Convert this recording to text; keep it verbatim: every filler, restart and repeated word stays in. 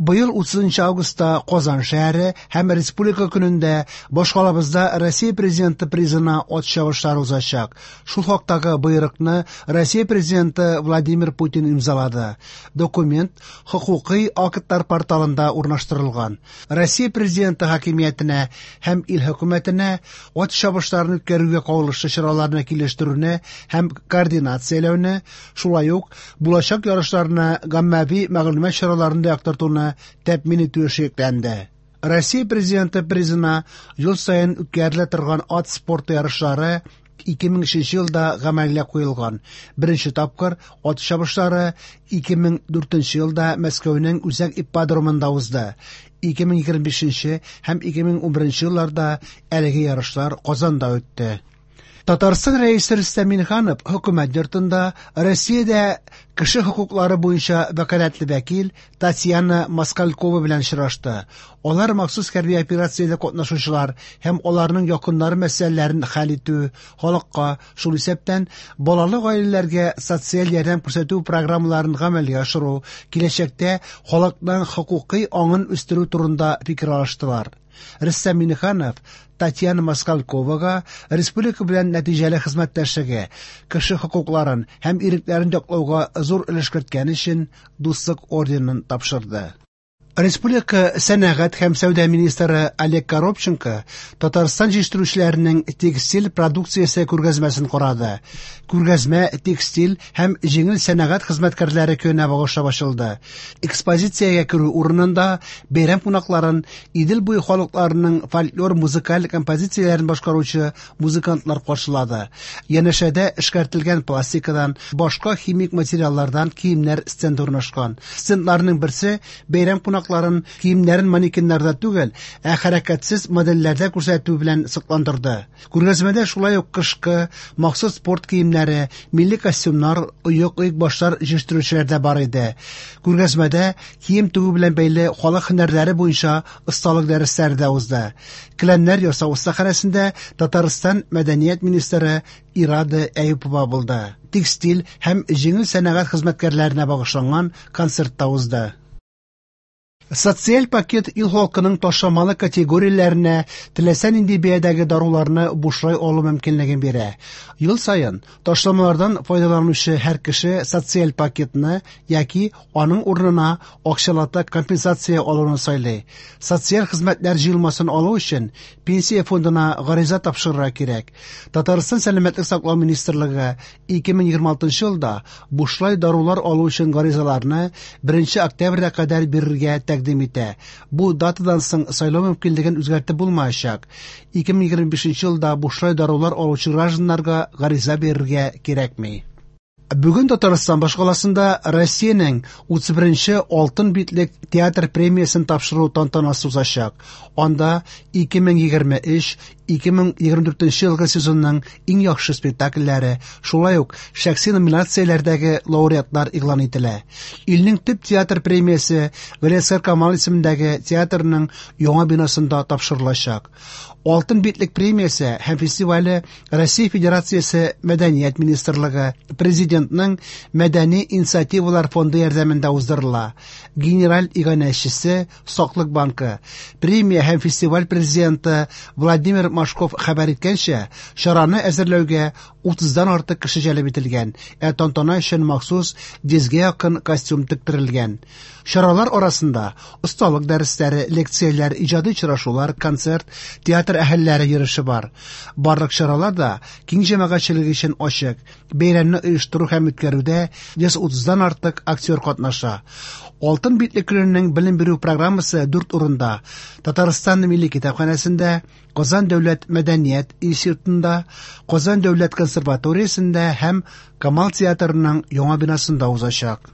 Быел утызынчы августта Казан шәһәре һәм Республика көнендә башкалабызда Россия Президенты призына ат чабышлары узачак. Шул хактагы боерыкны Россия Президенты Владимир Путин имзалады. Документ хокукый актлар порталында урнаштырылган. Россия Президенты хакимиятенә һәм ил хөкүмәтенә ат чабышларын үткәрүгә кагылышлы чараларны килештерүне һәм координацияләүне, шулай ук булачак ярышларны гаммәви мәгълүмат чараларында яктыртуны тәэмин итү эше йөкләнде. Россия Президенты призына ел саен үткәрелә торган ат спорты ярышлары ике мең өченче елда гамәлгә куелган. Беренче тапкыр ат чабышлары ике мең дүртенче елда Мәскәүнең үзәк ипподромында узды. ике мең егерме бишенче һәм ике мең унберенче елларда әлеге ярышлар Казанда үтте. Татарстан Рәисе Рөстәм Миңнеханов хөкүмәт йортында Россиядә кеше хокуклары буенча вәкаләтле вәкил Татьяна Москалькова белән очрашты. Алар махсус хәрби операциядә катнашучылар һәм аларның якыннары мәсьәләләрен хәл итү, халыкка, шул исәптән балалы гаиләләргә социаль ярдәм күрсәтү программаларын гамәлгә ашыру, киләчәктә халыкның хокукый аңын үстерү турында фикер алыштылар. Рөстәм Миңнеханов Татьяна Москальковага республика белән нәтиҗәле хезмәттәшлеге, кеше хокукларын һәм ирекләрен яклауга зур өлеш керткән өчен Дуслык орденын тапшырды. Республика сәнәгать һәм сәүдә министры Олег Коробченко Татарстан җитештерүчеләренең текстиль продукциясе күргәзмәсен карады. Күргәзмә текстиль һәм җиңел сәнәгать хезмәткәрләре көненә багышлап ачылды. Экспозициягә керү урынында бәйрәм кунакларын Идел буе халыкларының фольклор музыкаль композицияләрен башкаручы музыкантлар каршылады. Янәшәдә эшкәртелгән пластикадан, башка химик материаллардан киемнәр стенды урнашкан. Стендларның берсе бәйрәм кунакларын киемнәрен манекеннарда түгел, ә хәрәкәтсез модельләрдә күрсәтү белән сокландырды. Күргәзмәдә шулай ук кышкы, махсус спорт киемнәре, милли костюмнар, оек, оекбашлар җитештерүчеләр дә бар иде. Күргәзмәдә кием тегү белән бәйле халык һөнәрләре буенча осталык дәресләре дә узды. Келәмнәр ясау остаханәсендә Татарстан мәдәният министры Ирада Әюпова булды. Текстиль һәм җиңел сәнәгать хезмәткәрләренә багышланган концерт та узды. Социаль пакет ил халкының ташламалы категорияләренә теләсә нинди бәядәге даруларны бушлай алу мөмкинлеген бирә. Ел саен ташламалардан файдаланучы һәр кеше социаль пакетны яки аның урынына акчалата компенсация алуны сайлый. Социаль хезмәтләр җыелмасын алу өчен пенсия фондына гариза тапшырырга кирәк. Татарстан Сәламәтлек саклау министрлыгы ике мең егерме алтынчы елда бушлай дарулар алу өчен гаризаларны беренче октябрьгә кадәр бирергә тәкъдим итә. Бу датадан соң сайлау мөмкинлеген үзгәртеп булмаячак. ике мең егерме бишенче елда бушлай дарулар алучы гражданнарга гариза бирергә кирәкми. Бүген Татарстан башкаласында Россиянең утыз беренче алтын битлек театр премиясен тапшыру тантанасы узачак. Анда ике мең егерме өч, ике мең егерме дүртенче елгы сезонның иң яхшы спектакльләре, шулай ук шәхси номинацияләрдәге лауреатлар игълан ителә. Илнең төп театр премиясе Галиәсгар Камал исемендәге театрның яңа бинасында тапшырылачак. Алтын битлек премиясе һәм фестивале Россия Федерациясе Мәдәният министрлыгы, Президентның Мәдәни инициативалар фонды ярдәмендә уздырыла. Генераль иганәчесе Саклык банкы. Премия һәм фестиваль президенты Владимир Машков хәбәр иткәнчә, чараны әзерләүгә утыздан артык кеше җәлеп ителгән, ә тантана өчен махсус йөзгә якын костюм тектерелгән. Чаралар арасында осталык дәресләре, лекцияләр, иҗади очрашулар, концерт, театр әһелләре йөреше бар. Барлык чаралар да киң җәмәгатьчелек өчен ачык. Бәйрәмне оештыру һәм үткәрүдә йөз утыздан артык актер катнаша. Алтын битлек көненең белем бирү программасы дүрт урында: Татарстан Милли китапханәсендә, Казан дәүләт мәдәният институтында, Казан дәүләт консерваториясендә һәм Камал театрының яңа бинасында узачак.